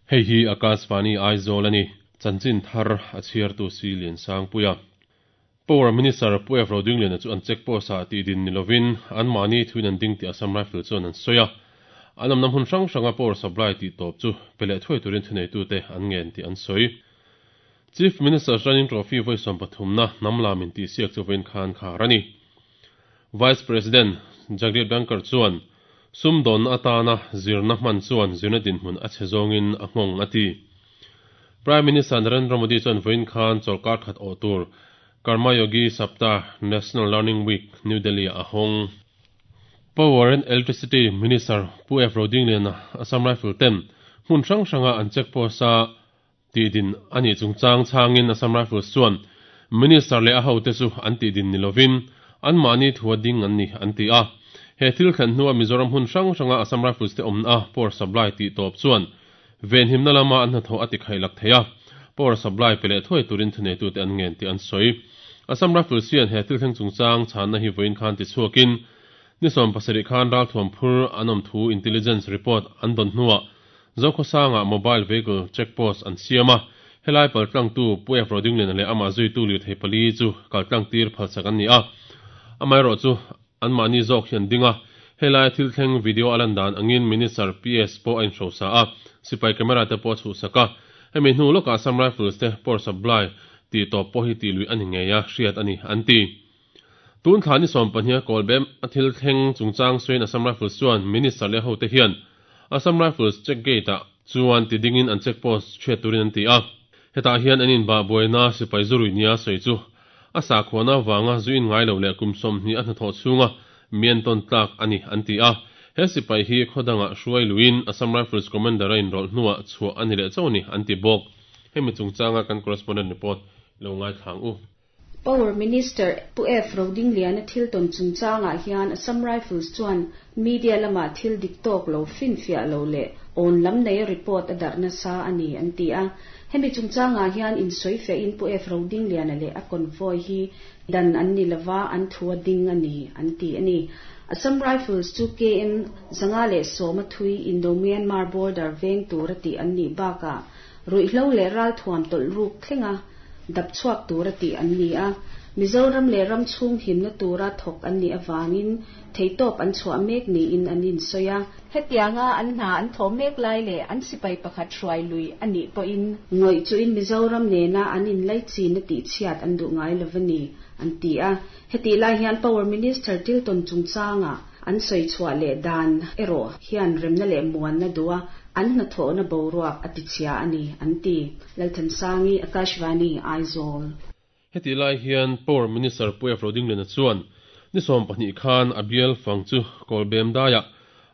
Hei hi Akashvani Aizawl a ni. Chanchin thar a chhiartu si Liansangpuia. Power Minister Pu F. Rodingliana chu an check post ah tih din ni lovin anmahni thuin an ding tih Assam Rifle chuan an sawi a. An awmna hmun hrang hranga power supply tih tawp chu pe leh thuai turin thuneitute an ngen tih an sawi. Chief Minister's Running Trophy vawi sawmpathumna hnam lam intihsiak chu vawiin khan khar a ni. Vice President Jagdeep Dhankhar chuan sumdawnna atana zirna hman chuan zirna dinhmun a chhe zawngin a nghawng a ti. Prime Minister Narendra Modi chuan vawiin khan chawlhkar khat awh tur Karmayogi Saptah National Learning Week New Delhi-ah a hawng. Power and Electricity Minister Pu F. Rodingliana Assam Rifle ten hmun hrang hranga an check post-a Tihdin a nih chungchang chhangin Assam Rifles chuan Minister leh a hote chu an tihdin ni lovin anmahni thua ding an ni an ti a. He thil thlen hnua Mizoram hmun hrang hranga Assam Rifles te awmna a power supply tih tawp chuan venhimna lama an hnathawh a tikhaih lak thei a, power supply pe leh thuai turin thuneitute an ngen tih an sawi. Assam Rifles hian he thil thleng chungchang chhanna hi vawiin khan tichhuakin ni 17 khan ralthuam phur an awm thu intelligence report an dawn hnuah Zokhawsangah mobile vehicle check post an siam a, helai paltlangtu Pu F. Rodingliana leh amah zuitu lirthei pali chu kaltlang tir phalsak an ni a. Amaherawhchu, anmahni zawk hi an ding a, helai thil thleng video a lan dan angin Minister PS pawh a inhrosa a, sipai camera te pawh a chhuhsak a. Hemi hnu lawkah Assam Rifles te power supply tih tawp pawh hi tih luih a ni ngei a, hriat a ni, an ti. Tun thla ni sawmpahniha Kawlbem a thil thleng chungchang sawiin Assam Rifles chuan Minister leh hote hian Assam Rifles check gate ah chuan ti dingin an check post chhiat turin an ti a. Hetah hian an inbah buaina sipai zurui nia sawi chu a sakhuana avanga zu in ngai lo leh kum 20 a hnathawh chhunga mi entawn tlak a ni an ti a. He sipai hi khaw dangah hruai luiin Assam Rifles Commander a inrawlh hnuah chhuah a ni leh chauh a ni an ti bawk. Hemi chungchanga kan correspondent report lo ngaithla ang u. Power Minister Pu F. Rodingliana thil tawn chungchangah hian Assam Rifles chuan media lamah thil dik tawk lo, finfiah lo leh awn lam neia report a darh nasa a ni an ti a. Hemi chungchangah hian insawifiahin Pu F. Rodingliana leh a convoy hi dan an ni lova, an thu a ding a ni an ti a ni. Assam Rifles chu KM 510 a thui Indo-Myanmar border veng tura tih an nih bakah ruihhlo leh ralthuam tawlh ruk thleng a, dap chhuak tura tih an ni a. Mizoram leh ram chhung himna tura thawk an nih avangin theihtawp an chhuah mek niin an insawi a. Hetianga an hna an thawh mek lai leh an sipai pakhat hruai lui a nih pawhin, ngawih chuhin Mizoram nena an inlaichinna tihchhiat an duh ngai lo a ni, an ti a. Hetih lai hian Power Minister Tilton chungchangah an sawi chhuah leh dan erawh hian remna leh muanna duha an hnathawhna boruak a tichhia a ni, an ti. Lalthansangi, Akashvani, Aizawl. Hetih lai hian Power Minister Pu F. Rodingliana chuan ni 12 khan a bial fang chu Kawlbem daiah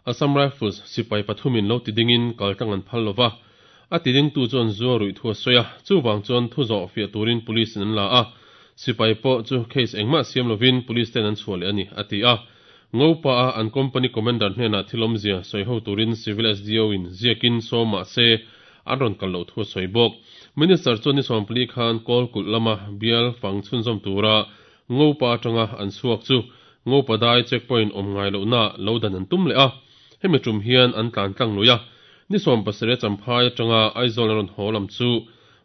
Assam Rifles sipai pathumin lo tidingin kaltlang an phal lova, a tidingtu chuan zua ruih thu a sawi a, chuvang chuan thu zawh fiah turin Police in an la a, sipai pawh chu case engmah siam lovin Police ten an chhuah leh a ni, a ti a. Ngopa a an company commander hnenah thil awmzia sawi ho turin Civil SDO in ziakin sawm mah se an rawn kal loh thu a sawi bawk. Minister chuan ni 14 khan Kawlkulh lama bial fang chhunzawm tura Ngopa atanga an chhuak chu Ngopa dai checkpoint awm ngai lohna lo dan an tum leh a, hemi tum hian an tlan tlang lui a. Ni 17 Champhai atanga Aizawl an rawn haw lam chu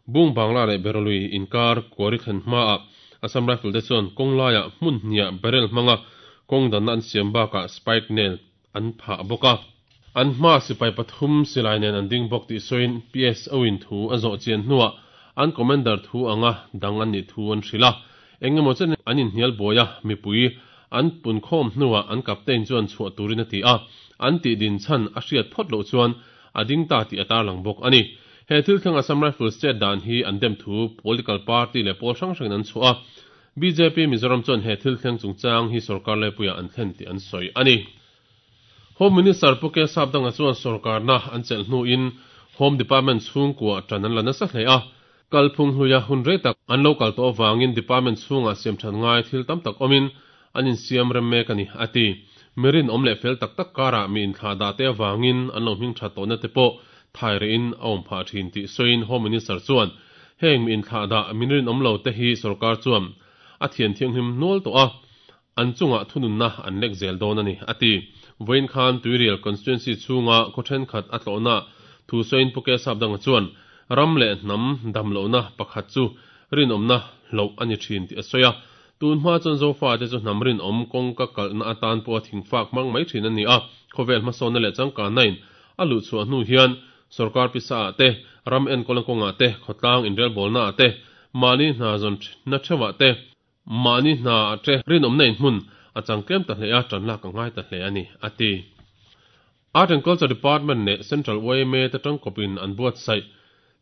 Bung Bangla leh Berolui inkar kuari thlen hmaah Assam Rifle te chuan kawng laiah hmun hniah barrel hmanga kawng danna an siam bakah spike nail an phah bawk a. An hmaa sipai pathum silai nen an ding bawk tih sawiin PSO in thu a zawh chian hnuah an commander thu anga dang an nih thu an hrilh a. Eng emaw chen an inhnial buai a, mipui an punkhawm hnuah an captain chuan chhuah turin a ti a, an tih din chhan a hriat phawt loh chuan a ding ta tih a tarlang bawk a ni. He thil thleng Assam Rifles chet dan hi an dem thu political party leh pawl hrang hrangin an chhuah a, bjp Mizoram chuan he thil thleng chungchang hi sorkar laipuiah an thlen tih an sawi a ni. Home Minister Pu K Sapdanga chuan sorkarna an chelh hnuin Home Department chhungkua tan an la nasa hle a, kalphung hluia hun rei tak an lo kal tawh avangin department chhungah siamthat ngai thil tam tak awmin an insiam rem mek a ni, a ti. Mi rinawm leh fel tak tak karah mi inthlah dah te avangin an lo hming that tawhna te pawh thai rehin a awm phah thin tih sawiin Home Minister chuan heng mi inthlah dah min rinawm lo te hi sorkar chuan a thian thianghlim nual tawh a, an chungah thununna an lek zel dawn a ni, a ti. Vawiin khan Tuirial constituency chhunga khaw thenkhat a tlawhna Thu sawiin Pu Kesapdanga chuan ram leh hnam dam lohna pakhat chu rinawmna hloh a ni thin tih a sawi a. Tun hma chuan Zofate chu hnam rinawm, kawngka kalhna atan pawha thingfak hmang mai thin an ni a. Khawvel hmasawnna leh changkanna-in a luhchhuah hnu hian sawrkar pisa-ah te, ram enkawlna kawngah te, khawtlang inrelbawlnaah te, mahni hna zawnna theuhah te, mahni hna te rinawmna in hmun a chang tlem ta hle a, tan lak a ngai ta hle a ni, a ti. Art and Culture Department leh Central yma te tangkawpin an buatsaih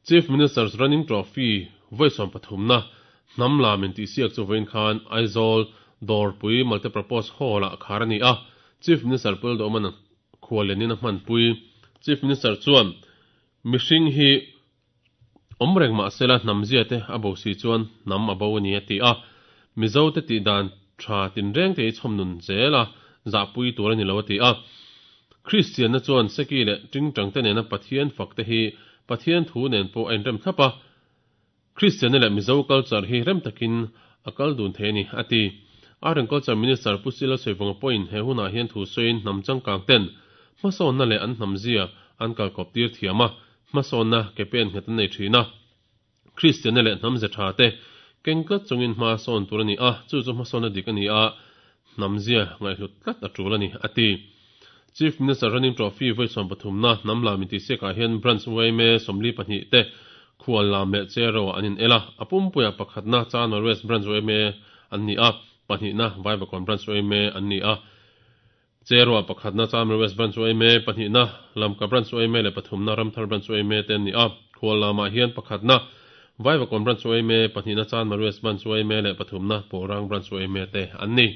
Chief Minister's Running Trophy vawi 13na hnam lam intihsiak chu vawiin khan Aizawl Dawrpui Multipurpose Hall-ah khar a ni a, Chief Minister Pu Lalduhawma'n khuallianin a hmanpui. Chief Minister chuan mihring hi awm reng mahsela hnam zia te a bo si chuan hnam a bo a ni a ti a, Mizo te tih dan tha tinreng te hi chhawm nun zel a zahpui tur a ni lo a ti a. Kristianna chuan seki leh tingtang te nena Pathian fak te hi Pathian thu nen pawh a inrem thlap a, Kristianna leh Mizo culture hi rem takin a kal dun thei a ni, a ti. Art and Culture Minister Pu Sila Sawivawnga pawhin he hunah hian thu sawiin hnam changkang ten hmasawnna leh an hnam zia an kalkawp tir thiam a, hmasawnna ke pen nghet an nei thin a. Kristianna leh hnam ze tha te keng tlat chungin hma sawn tur a ni a, chu chu hmasawnna dik a ni a, hnam zia ngaihhlut tlat a tul a ni, a ti. Chief Minister Running Trophy vawi 13na hnam lam intihsiakah hian Branch yma 42 te khual lam leh chair ah an in el a, a pumpuiah pakhatna Chanmar West Branch yma an ni a, pahnihna Vaivakawn Branch yma an ni a. Cherua pakhatna Chamra West Branch yma, pahnihna Lamka Branch yma leh pathumna Ramthar Branch yma te an ni a. Khual lamah hian pakhatna Vaivakawn Branch yma, pahnihna Chanmar West Branch yma leh pathumna Pawlrang Branch yma te an ni.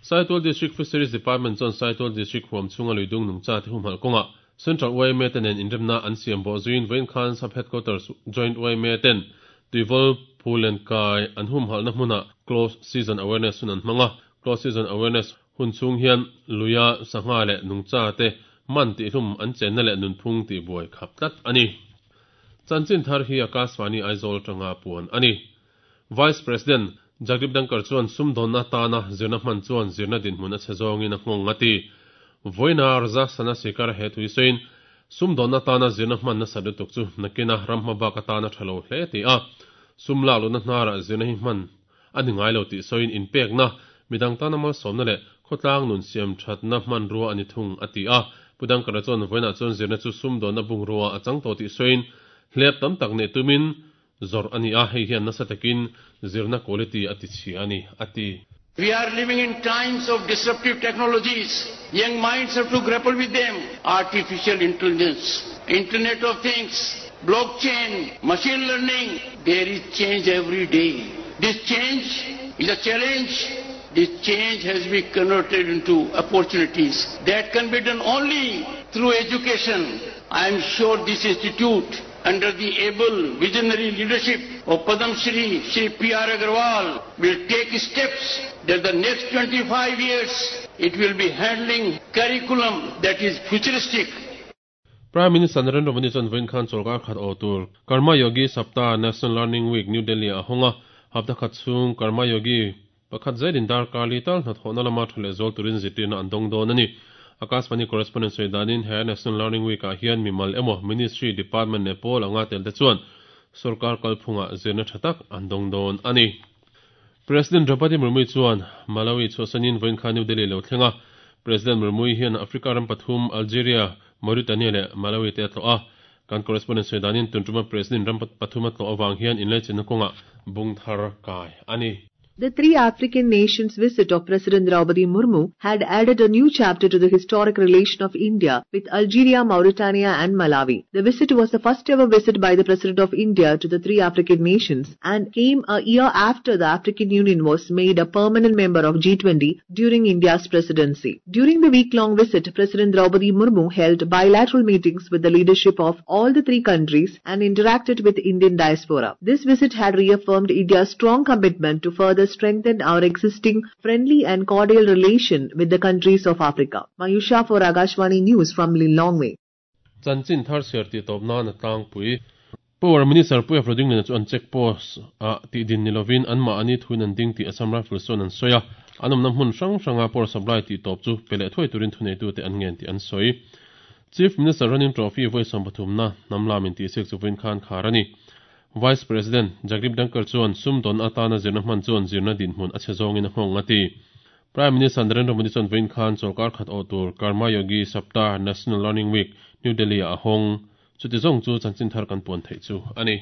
Saitual District Fisheries Department chuan Saitual District huam chhunga luidung nungcha te humhalh kawngah Central yma te nen inremna an siam bawh zuiin vawiin khan Sub Headquarters Joint yma ten Tuivawl Phulen kai an humhalhna hmunah Close Season Awareness hun an hmang a. Close Season Awareness Hun chhung hian luia sangha leh nungcha te man tihhlum an chenna leh nunphung tih buai khap tlat a ni. Chanchin thar hi Akashvani Aizawl atanga puan a ni. Vice President Jagdeep Dhankhar chuan sumdawnna atana zirna hman chuan zirna dinhmun a chhe zawngin a nghawng a ti. Vawiina Rajasthana Sikar he thu hi sawiin, Sumdawnna atana zirna hman nasa lutuk chu nakina ram hma bak atana tha lo hle ti a, sum lak luhna hnarah zirna hi hman A ni ngai lo tih sawiin inpekna, midang tana malsawmna leh khawtlang nun siam thatna hmanrua a ni thung, a ti a. Pu Dangkara chuan vawiinah chuan zirna chu sumdawnna bungrua a chang tawh tih sawiin hlep tam tak neih tumin zawrh a ni a, hei hian nasa takin zirna quality a ti chhia a ni, a ti. We are living in times of disruptive technologies. Young minds have to grapple with them. Artificial intelligence, Internet of Things, blockchain, machine learning. There is change every day. This change is a challenge. This change has been converted into opportunities. That can be done only through education. I am sure this institute, under the able visionary leadership of Padam Shri, Shri P.R. Agarwal, will take steps that the next 25 years it will be handling curriculum that is futuristic. Prime Minister Narendra Modi chuan vawiin khan chawlhkar khat aw tur Karma Yogi Saptah National Learning Week New Delhi ah a hawng a, hapta khat chhung Karma Yogi pakhat zelin darkar li tal hnathawhna lama tha leh zual turin zirtirna an dawng dawn a ni. Akashvani correspondent sawi danin he National Learning Week ah hian mimal emaw Ministry, Department leh pawl anga tel te chuan sorkar kalphungah zirna tha tak an dawng dawn a ni. President Draupadi Murmu chuan Malawi chhuahsanin vawiin kha New Delhi lo thleng a. President Murmu hian Africa ram pathum Algeria, Mauritania leh Malawi te a tlawh a. Kan correspondent sawi danin tun tuma President ram pathum a tlawh avang hian inlaichinna kawngah bung thar kai a ni. The three African nations' visit of President Draupadi Murmu had added a new chapter to the historic relation of India with Algeria, Mauritania and Malawi. The visit was the first ever visit by the President of India to the three African nations and came a year after the African Union was made a permanent member of G20 during India's presidency. During the week-long visit, President Draupadi Murmu held bilateral meetings with the leadership of all the three countries and interacted with Indian diaspora. This visit had reaffirmed India's strong commitment to further strengthen our existing friendly and cordial relation with the countries of Africa. Mayusha for Akashvani News from Lilongwe. Chanchin thar chhiar tih tawp nan a tlangpui. Power Minister Puia Frodingliana chu an check post ah tih din ni lovin anmahni thuin an ding tih Assam Rifles chuan an sawi a, an awmna hmun hrang hranga power supply tih tawp chu pe leh thuai turin thuneitute an ngen tih an sawi. Chief Minister Running Trophy vawi 13 na hnam lam intihsiak chu vawiin khan khar a ni. Vice President Jagdeep Dhankhar chuan sumdawn atana zirna hman chuan zirna dinhmun a chhe zawngin a nghawng a ti. Prime Minister Narendra Modi chuan vawiin khan chawlhkar khat awh tur Karma Yogi Saptah National Learning Week New Delhi ah a hawng. Chuti zawng chu chanchin thar kan puan theih chu a ni.